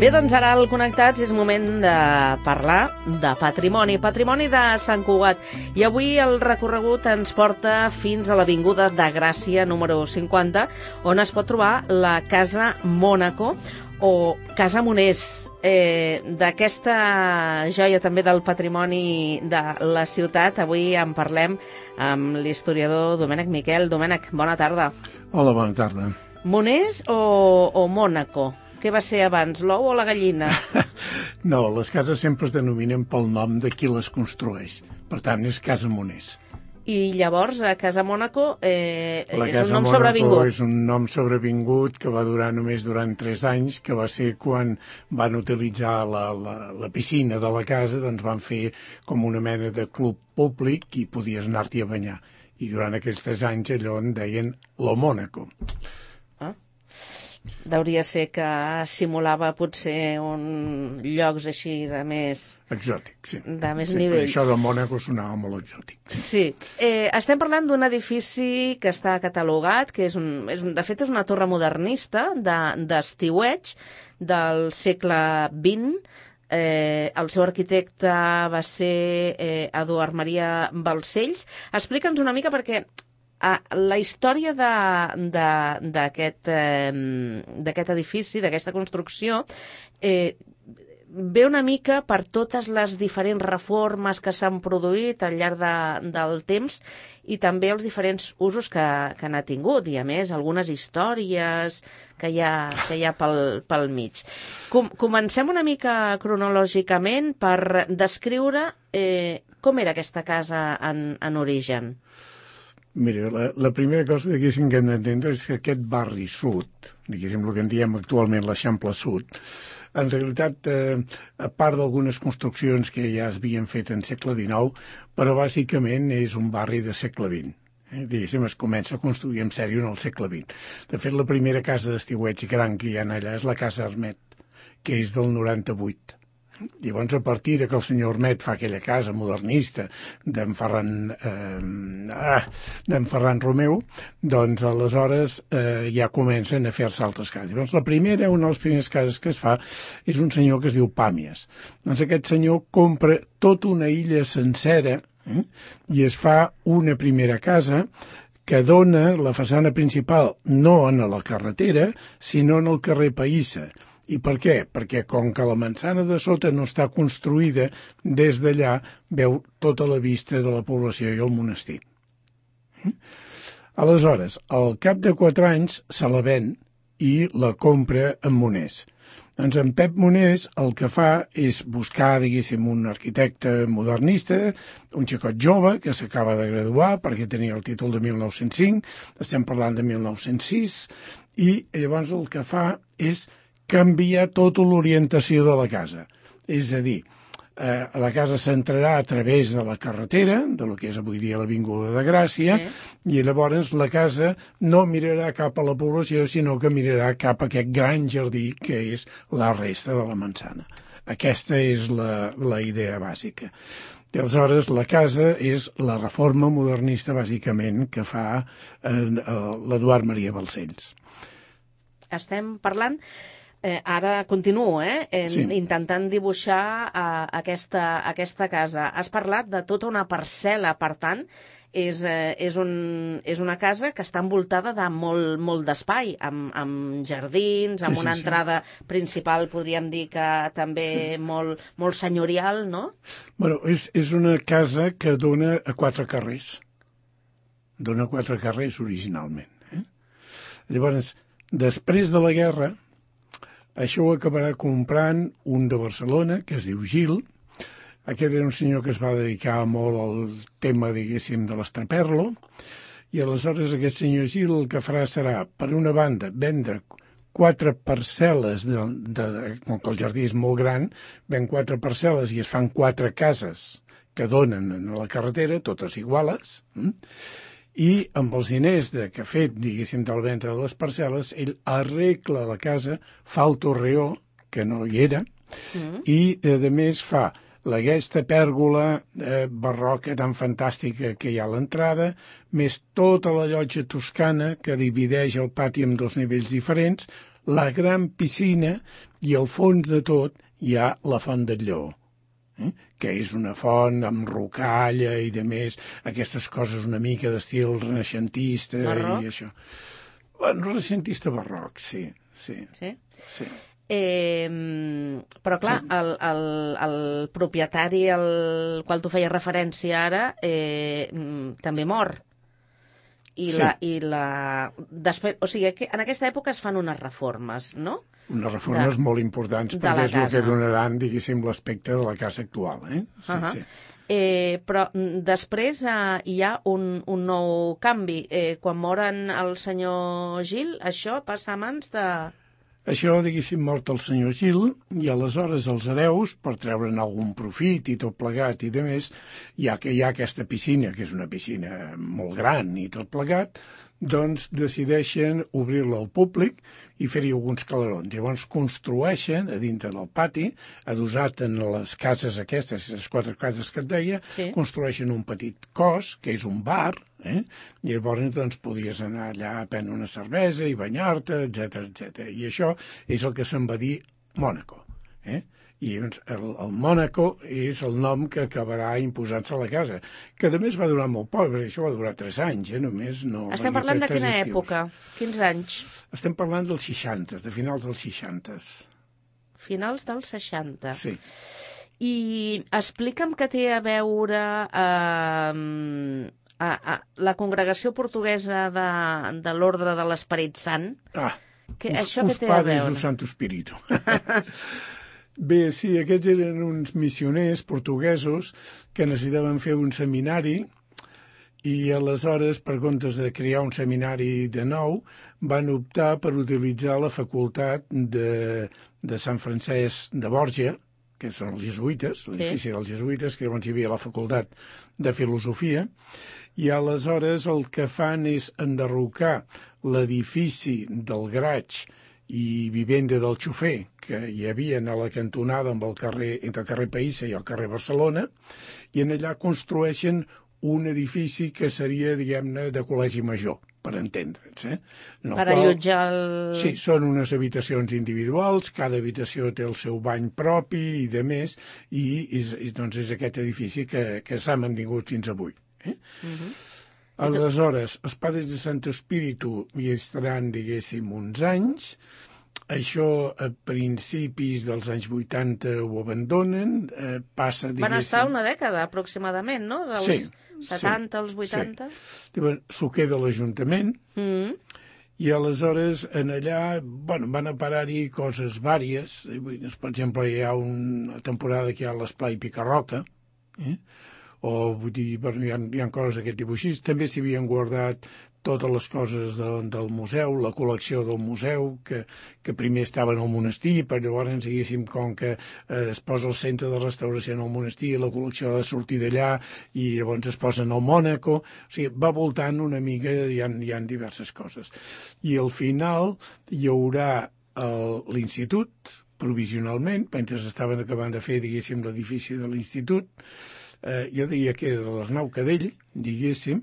Bé, doncs ara al Connectats és moment de parlar de patrimoni, patrimoni de Sant Cugat. I avui el recorregut ens porta fins a l'Avinguda de Gràcia número 50, on es pot trobar la Casa Mònaco o Casa Moners. D'aquesta joia també del patrimoni de la ciutat, avui en parlem amb l'historiador Domènec Miquel. Domènec, bona tarda. Hola, bona tarda. Moners o Mònaco? Què va ser abans, l'ou o la gallina? No, les cases sempre es denominen pel nom de qui les construeix. Per tant, és Casa Moners. I llavors, a Casa Mònaco és un nom Mònaco sobrevingut. És un nom sobrevingut que va durar només durant 3 anys, que va ser quan van utilitzar la piscina de la casa, doncs van fer com una mena de club públic i podies anar-t'hi a banyar. I durant aquests 3 anys allò en deien lo Mònaco. Deuria ser que simulava potser llocs així de més... Exòtic, sí. De més sí, nivell. Això de Mònaco sonava molt exòtic. Sí. Estem parlant d'un edifici que està catalogat, que de fet és una torre modernista d'estiueig del segle XX. El seu arquitecte va ser Eduard Maria Balcells. Explica'ns una mica perquè... la història d'aquest edifici, d'aquesta construcció, ve una mica per totes les diferents reformes que s'han produït al llarg del temps i també els diferents usos que n'ha tingut, i a més algunes històries que hi ha pel mig. Comencem una mica cronològicament per descriure com era aquesta casa en origen. Mira, la primera cosa que hem d'entendre és que aquest barri sud, diguéssim el que en diem actualment l'Eixample Sud, en realitat, a part d'algunes construccions que ja es havien fet en segle XIX, però bàsicament és un barri de segle XX. Diguéssim, es comença a construir en sèrio en el segle XX. De fet, la primera casa d'estiueig gran que hi ha allà és la Casa Armet, que és del 98. Llavors, a partir que el senyor Armet fa aquella casa modernista d'en Ferran Romeu, doncs aleshores ja comencen a fer-se altres cases. Llavors, una de les primeres cases que es fa és un senyor que es diu Pàmies. Doncs aquest senyor compra tota una illa sencera i es fa una primera casa que dona la façana principal no en la carretera, sinó en el carrer Païssa. I per què? Perquè com que la manzana de sota no està construïda, des d'allà veu tota la vista de la població i el monestir. Aleshores, al cap de 4 anys se la ven i la compra en Moners. Doncs en Pep Moners el que fa és buscar, diguéssim, un arquitecte modernista, un xicot jove que s'acaba de graduar perquè tenia el títol de 1905, estem parlant de 1906, i llavors el que fa és canviar tota l'orientació de la casa. És a dir, la casa s'entrarà a través de la carretera, de lo que és avui dia l'Avinguda de Gràcia, i llavors la casa no mirarà cap a la població, sinó que mirarà cap a aquest gran jardí que és la resta de la manzana. Aquesta és la idea bàsica. I aleshores la casa és la reforma modernista, bàsicament, que fa l'Eduard Maria Balcells. Estem parlant... Ara continuo, Sí. Intentant dibuixar aquesta casa. Has parlat de tota una parcel·la, per tant, és una casa que està envoltada de molt d'espai, amb jardins, amb una entrada principal, podríem dir que també molt senyorial, no? Bueno, és una casa que dona a 4 carrers. Dona 4 carrers originalment. Llavors, després de la guerra, això ho acabarà comprant un de Barcelona, que es diu Gil. Aquest era un senyor que es va dedicar molt al tema, diguéssim, de l'estraperlo, i aleshores aquest senyor Gil el que farà serà, per una banda, vendre 4 parcel·les, com que el jardí és molt gran, ven 4 parcel·les i es fan 4 cases que donen a la carretera, totes iguales, i amb els diners que ha fet, diguéssim, de la venda de les parcel·les, ell arregla la casa, fa el torreó, que no hi era, i, a més, fa aquesta pèrgola barroca tan fantàstica que hi ha a l'entrada, més tota la llotja toscana que divideix el pati en 2 nivells diferents, la gran piscina i al fons de tot hi ha la Font del Lleó, que és una font amb rocalla i de més, aquestes coses una mica d'estil renaixentista Barroc? i això. Bueno, renaixentista barroc, sí. Sí? Sí. Però clar, el propietari al qual tu feies referència ara també mor. Després, o sigui, que en aquesta època es fan unes reformes, no? Unes reformes molt importants perquè és el que donaran, diguéssim, l'aspecte de la casa actual. Sí, sí. Però després hi ha un nou canvi. Quan moren el senyor Gil, això passa a mans de... Això, diguéssim, mort el senyor Gil, i aleshores els hereus, per treure'n algun profit i tot plegat i de més, ja que hi ha aquesta piscina, que és una piscina molt gran i tot plegat, doncs decideixen obrir-la al públic i fer-hi alguns calarons. Llavors construeixen a dintre del pati, adossat en les cases aquestes, les 4 cases que et deia, sí. Construeixen un petit cos, que és un bar, i llavors doncs podies anar allà a prendre una cervesa i banyar-te, etc. I això és el que se'n va dir Mònaco. I doncs, el Mònaco és el nom que acabarà imposant-se a la casa, que a més va durar molt poc, perquè això va durar 3 anys, només no... Estem parlant de quina època? Quins anys? Estem parlant dels 60, de finals dels 60. Finals dels 60. Sí. I explica'm què té a veure la congregació portuguesa de l'Ordre de l'Esperit Sant. Això què té a veure? Us Santo Espíritu. Bé, sí, aquests eren uns missioners portuguesos que necessitaven fer un seminari i aleshores, per comptes de crear un seminari de nou, van optar per utilitzar la facultat de Sant Francesc de Borja, que són els jesuïtes, l'edifici dels jesuïtes, que llavors hi havia la facultat de filosofia, i aleshores el que fan és enderrocar l'edifici del Graig i vivenda del xofer que hi havia a la cantonada entre el carrer Païssa i el carrer Barcelona, i en allà construeixen un edifici que seria, diguem-ne, de col·legi major, per entendre'ns. Per allotjar el... Sí, són unes habitacions individuals, cada habitació té el seu bany propi i de més, i doncs és aquest edifici que s'ha mantingut fins avui. Aleshores, els Padres de Sant Espíritu hi estaran, diguéssim, uns anys. Això a principis dels anys 80 ho abandonen, passa, diguéssim... Van estar una dècada, aproximadament, no? Dels 70 als 80? Sí. S'ho queda l'Ajuntament, i aleshores en allà, van a parar-hi coses vàries. Per exemple, hi ha una temporada que hi ha l'Esplai Picarroca, o vull dir, hi ha coses d'aquest tipus així. També s'hi havien guardat totes les coses del museu, la col·lecció del museu, que primer estava en el monestir, però llavors, diguéssim, com que es posa el centre de restauració en el monestir, la col·lecció ha de sortir d'allà, i llavors es posa en el Mònaco. O sigui, va voltant una mica, hi ha diverses coses. I al final hi haurà l'institut, provisionalment, mentre estaven acabant de fer, diguéssim, l'edifici de l'institut, jo diria que era de l'Arnau Cadell, diguéssim,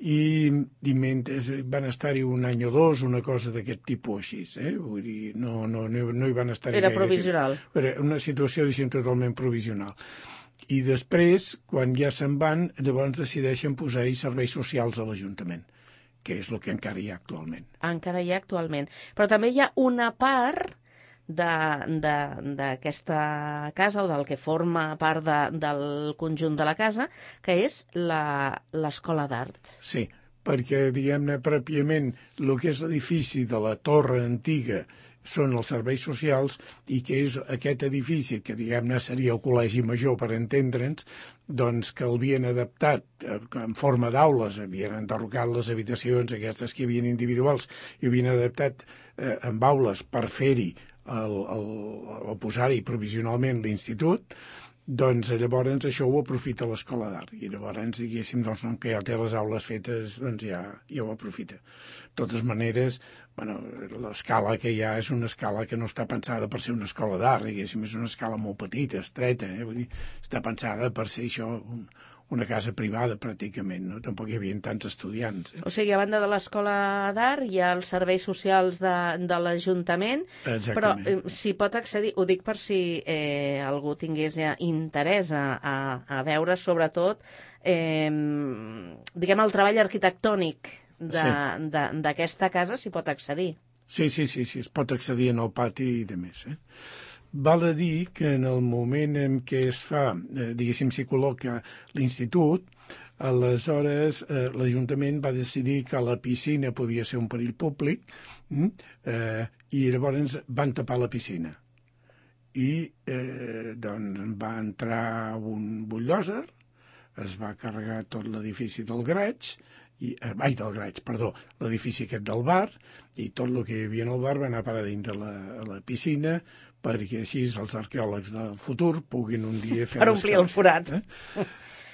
i mentre van estar-hi un any o dos, una cosa d'aquest tipus així, vull dir, no hi van estar-hi gaire. Era provisional. Era una situació, diguéssim, totalment provisional. I després, quan ja se'n van, llavors decideixen posar-hi serveis socials a l'Ajuntament, que és el que encara hi ha actualment. Encara hi ha actualment. Però també hi ha una part d'aquesta casa, o del que forma part del conjunt de la casa, que és l'escola d'art. Sí, perquè, diguem-ne, pròpiament, el que és l'edifici de la torre antiga són els serveis socials, i que és aquest edifici, que diguem-ne seria el col·legi major, per entendre'ns, doncs que el havien adaptat en forma d'aules, havien enderrocat les habitacions aquestes que hi havia individuals, i havien adaptat amb aules per fer-hi o posar-hi provisionalment l'institut, doncs llavors això ho aprofita l'escola d'art, i llavors, diguéssim, doncs, que ja té les aules fetes, doncs ja ho aprofita. De totes maneres, l'escala que hi ha és una escala que no està pensada per ser una escola d'art, diguéssim, és una escala molt petita, estreta, vull dir, està pensada per ser això, una casa privada pràcticament, no? Tampoc hi havia tants estudiants. O sigui, a banda de l'Escola d'Art hi ha els serveis socials de l'Ajuntament, però s'hi pot accedir, ho dic per si algú tingués interès a veure sobretot diguem el treball arquitectònic d'aquesta casa, s'hi pot accedir. Sí, es pot accedir en el pati i de més. Val a dir que en el moment en què es fa, diguéssim, s'hi col·loca l'institut, aleshores l'Ajuntament va decidir que la piscina podia ser un perill públic i llavors van tapar la piscina. I doncs va entrar un bulldozer, es va carregar tot l'edifici del Graig, l'edifici aquest del bar, i tot el que hi havia al bar va anar a parar dins de la piscina perquè així els arqueòlegs del futur puguin un dia fer... Per omplir el forat.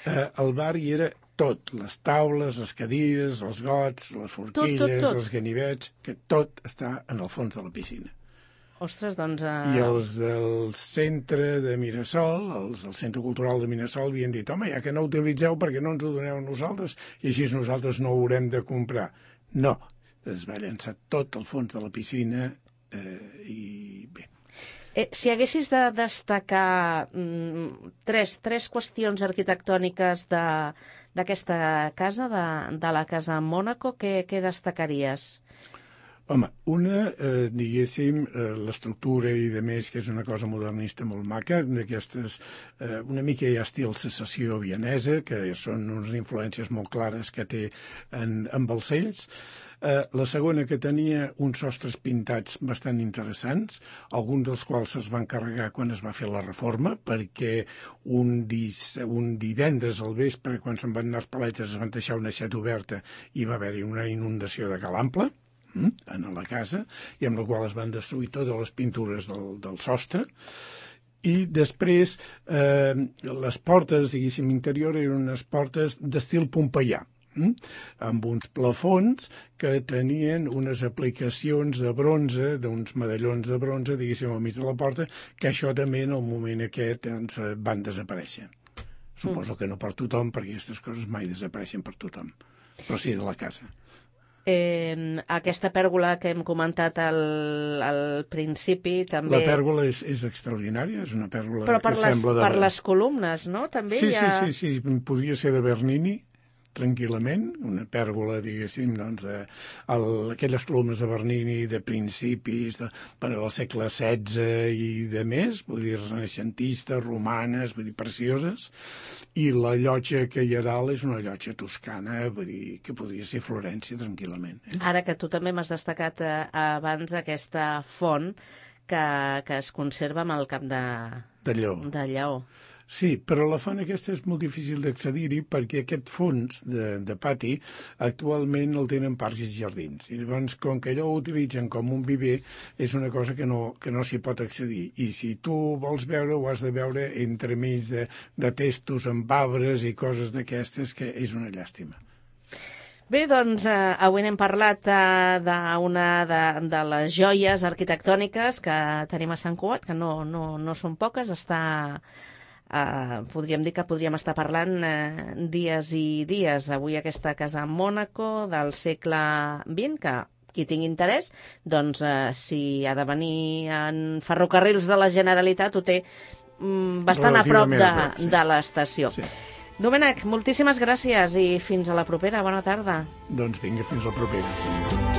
El bar hi era tot, les taules, les cadires, els gots, les forquilles, tot. Els ganivets, que tot està en el fons de la piscina. Ostres, doncs... I els del centre de Mirasol, els del Centre Cultural de Mirasol, havien dit, home, ja que no utilitzeu, perquè no ens ho doneu a nosaltres, i així nosaltres no ho haurem de comprar. No, es va llançar tot al fons de la piscina i bé. Si haguessis de destacar tres qüestions arquitectòniques d'aquesta casa, de la Casa Mònaco, què destacaries? Home, una, diguéssim, l'estructura i de més, que és una cosa modernista molt maca, d'aquestes, una mica hi ha estil secessió vienesa, que són unes influències molt clares que té en Balcells. La segona, que tenia uns sostres pintats bastant interessants, alguns dels quals es van carregar quan es va fer la reforma, perquè un divendres al vespre, quan se'n van anar els paletes, es van deixar una aixeta oberta i va haver-hi una inundació de Calample en la casa, i amb la qual es van destruir totes les pintures del sostre. I després les portes, diguéssim, interior eren unes portes d'estil pompeià, amb uns plafons que tenien unes aplicacions de bronze, d'uns medallons de bronze, diguéssim, al mig de la porta, que això també en el moment aquest van desaparèixer. Suposo que no per tothom, perquè aquestes coses mai desapareixen per tothom, però sí de la casa. Aquesta pèrgola que hem comentat al principi també... La pèrgola és extraordinària, és una pèrgola que sembla de... Però per les columnes, no? També sí, podria ser de Bernini, tranquil·lament, una pèrgola, diguéssim, doncs, aquelles columnes de Bernini de principis del segle XVI i de més, vull dir, renaixentistes, romanes, vull dir, precioses, i la llotja que hi ha dalt és una llotja toscana, vull dir, que podria ser Florència tranquil·lament. Ara que tu també m'has destacat abans aquesta font que es conserva amb el cap de lleó. Sí, però la font aquesta és molt difícil d'accedir-hi perquè aquest fons de pati actualment el tenen parcs i jardins. I llavors, com que allò ho utilitzen com un viver, és una cosa que no s'hi pot accedir. I si tu vols veure, ho has de veure entremig de testos amb arbres i coses d'aquestes, que és una llàstima. Bé, doncs, avui n'hem parlat d'una de les joies arquitectòniques que tenim a Sant Cugat, que no són poques, podríem dir que podríem estar parlant dies i dies. Avui aquesta casa Mònaco del segle XX, que qui tingui interès, doncs si ha de venir en ferrocarrils de la Generalitat ho té bastant a prop de l'estació. Sí. Domènec, moltíssimes gràcies i fins a la propera. Bona tarda. Doncs vinga, fins la propera.